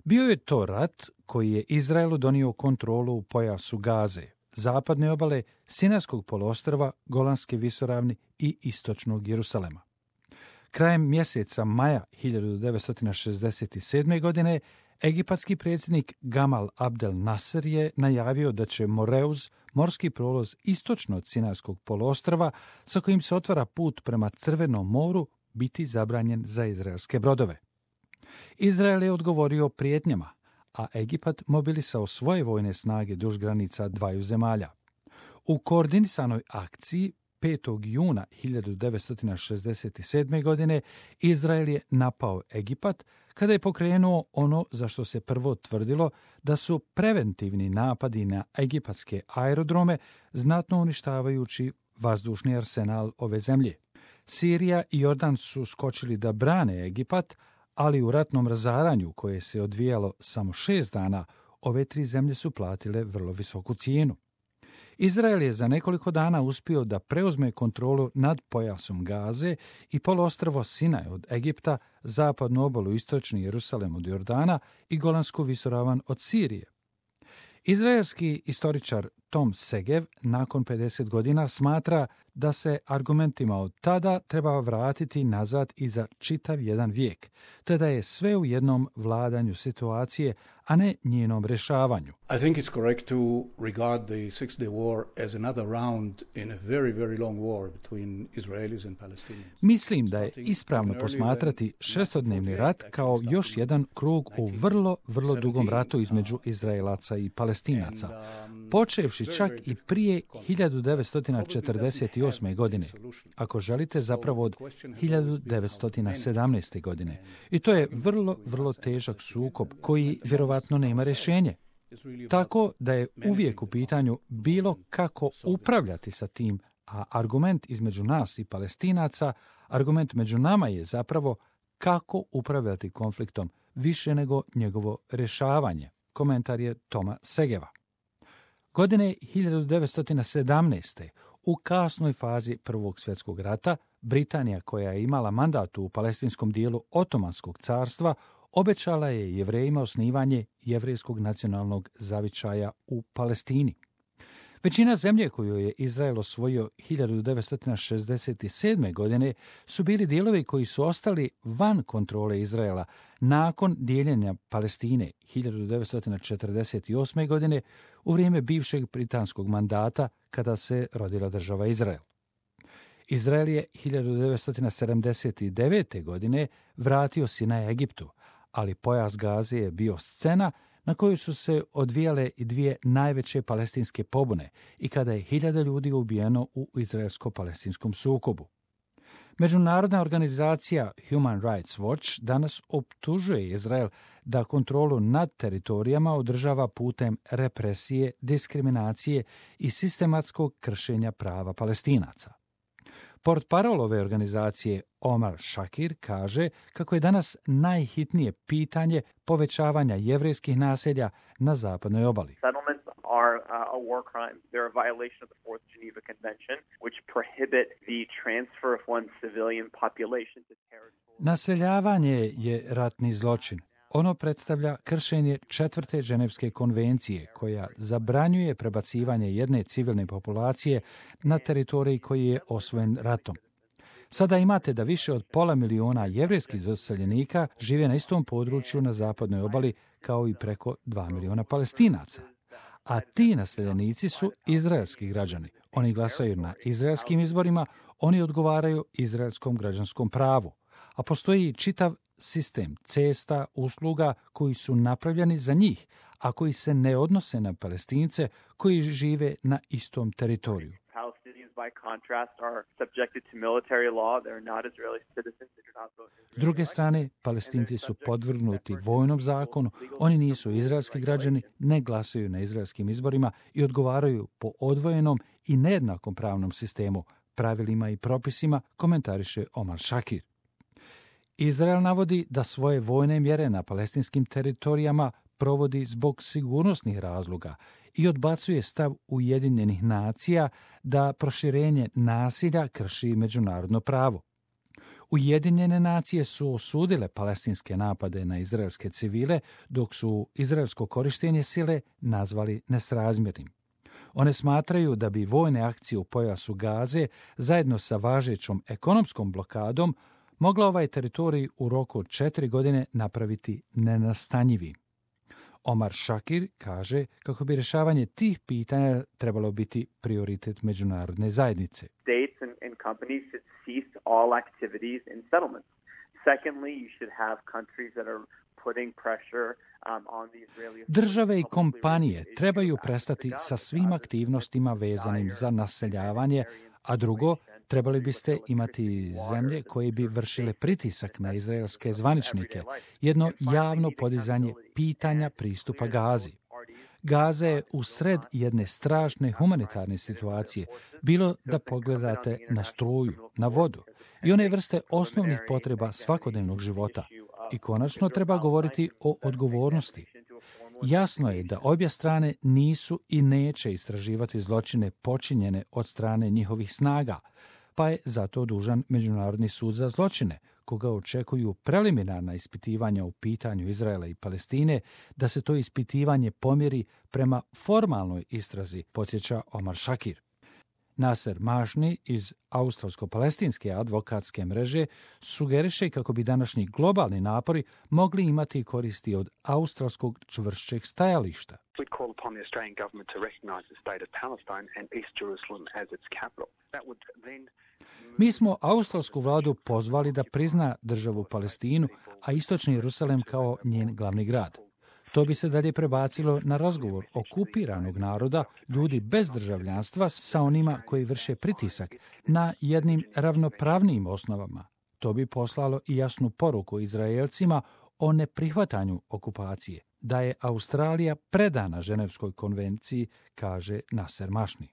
Bio je to rat koji je Izraelu donio kontrolu u pojasu Gaze, zapadne obale, Sinajskog poluostrva, Golanske visoravni i istočnog Jerusalema. Krajem mjeseca maja 1967. godine egipatski predsjednik Gamal Abdel Nasser je najavio da će Moreuz, morski prolaz istočno od Sinajskog poluostrva, sa kojim se otvara put prema Crvenom moru, biti zabranjen za izraelske brodove. Izrael je odgovorio prijetnjama, a Egipat mobilisao svoje vojne snage duž granica dvaju zemalja. U koordinisanoj akciji 5. juna 1967. godine Izrael je napao Egipat kada je pokrenuo ono za što se prvo tvrdilo da su preventivni napadi na egipatske aerodrome, znatno uništavajući vazdušni arsenal ove zemlje. Sirija i Jordan su skočili da brane Egipat, ali u ratnom razaranju koje se odvijalo samo 6 dana, ove 3 zemlje su platile vrlo visoku cijenu. Izrael je za nekoliko dana uspio da preuzme kontrolu nad pojasom Gaze i poluostrvo Sinaj od Egipta, zapadnu obalu istočni Jerusalem od Jordana i Golansku visoravan od Sirije. Izraelski istoričar Tom Segev nakon 50 godina smatra da se argumentima od tada treba vratiti nazad i za čitav jedan vijek, te da je sve u jednom vladanju situacije, a ne njenom rješavanju. I think it's correct to regard the Six-Day War as another round in a very, very long war between Israelis and Palestinians. Mislim da je ispravno posmatrati šestodnevni rat kao još jedan krug u vrlo dugom ratu između Izraelaca i Palestinaca, počevši čak i prije 1948. godine, ako želite zapravo od 1917. godine. I to je vrlo težak sukob koji vjerovatno nema rješenje. Tako da je uvijek u pitanju bilo kako upravljati sa tim, a argument između nas i Palestinaca, argument među nama je zapravo kako upravljati konfliktom više nego njegovo rješavanje. Komentar je Toma Segeva. Godine 1917. u kasnoj fazi Prvog svjetskog rata, Britanija, koja je imala mandat u palestinskom dijelu Otomanskog carstva, obećala je Jevrejima osnivanje jevrejskog nacionalnog zavičaja u Palestini. Većina zemlje koju je Izrael osvojio 1967. godine su bili dijelovi koji su ostali van kontrole Izraela nakon dijeljenja Palestine 1948. godine u vrijeme bivšeg britanskog mandata kada se rodila država Izrael. Izrael je 1979. godine vratio Sinaj Egiptu, ali pojas Gaze je bio scena na kojoj su se odvijale i dvije najveće palestinske pobune i kada je 1000 ljudi ubijeno u izraelsko-palestinskom sukobu. Međunarodna organizacija Human Rights Watch danas optužuje Izrael da kontrolu nad teritorijama održava putem represije, diskriminacije i sistematskog kršenja prava Palestinaca. Portparol ove organizacije Omar Shakir kaže kako je danas najhitnije pitanje povećavanja jevrejskih naselja na zapadnoj obali. Settlements are a war crime. They're a violation of the Fourth Geneva Convention, which prohibit the transfer of one civilian population to territory. Naseljavanje je ratni zločin. Ono predstavlja kršenje 4. Ženevske konvencije, koja zabranjuje prebacivanje jedne civilne populacije na teritorij koji je osvojen ratom. Sada imate da više od 500.000 jevrejskih doseljenika žive na istom području na zapadnoj obali kao i preko 2 milijuna Palestinaca. A ti naseljenici su izraelski građani. Oni glasaju na izraelskim izborima, oni odgovaraju izraelskom građanskom pravu. A postoji čitav sistem cesta, usluga koji su napravljeni za njih, a koji se ne odnose na Palestince koji žive na istom teritoriju. S druge strane, Palestinci su podvrgnuti vojnom zakonu, oni nisu izraelski građani, ne glasaju na izraelskim izborima i odgovaraju po odvojenom i nejednakom pravnom sistemu, pravilima i propisima, komentariše Omar Shakir. Izrael navodi da svoje vojne mjere na palestinskim teritorijama provodi zbog sigurnosnih razloga i odbacuje stav Ujedinjenih nacija da proširenje nasilja krši međunarodno pravo. Ujedinjene nacije su osudile palestinske napade na izraelske civile, dok su izraelsko korištenje sile nazvali nesrazmjernim. One smatraju da bi vojne akcije u pojasu Gaze, zajedno sa važećom ekonomskom blokadom, mogla ovaj teritorij u roku od 4 godine napraviti nenastanjivim. Omar Shakir kaže kako bi rješavanje tih pitanja trebalo biti prioritet međunarodne zajednice. States and companies should cease all activities in settlements. Secondly, you should have countries that are putting pressure on the Israeli. Države i kompanije trebaju prestati sa svim aktivnostima vezanim za naseljavanje, a drugo, trebali biste imati zemlje koje bi vršile pritisak na izraelske zvaničnike, jedno javno podizanje pitanja pristupa Gazi. Gaza je u sred jedne strašne humanitarne situacije, bilo da pogledate na struju, na vodu i one vrste osnovnih potreba svakodnevnog života. I konačno treba govoriti o odgovornosti. Jasno je da obje strane nisu i neće istraživati zločine počinjene od strane njihovih snaga, pa je zato dužan Međunarodni sud za zločine, koga očekuju preliminarna ispitivanja u pitanju Izraela i Palestine, da se to ispitivanje pomjeri prema formalnoj istrazi, podsjeća Omar Shakir. Naser Mašni iz australsko-palestinske advokatske mreže sugeriše kako bi današnji globalni napori mogli imati koristi od australskog čvršćeg stajališta. Mi smo australsku vladu pozvali da prizna državu Palestinu, a istočni Jerusalem kao njen glavni grad. To bi se dalje prebacilo na razgovor okupiranog naroda, ljudi bez državljanstva, sa onima koji vrše pritisak na jednim ravnopravnijim osnovama. To bi poslalo i jasnu poruku Izraelcima o neprihvatanju okupacije, da je Australija predana Ženevskoj konvenciji, kaže Naser Mašni.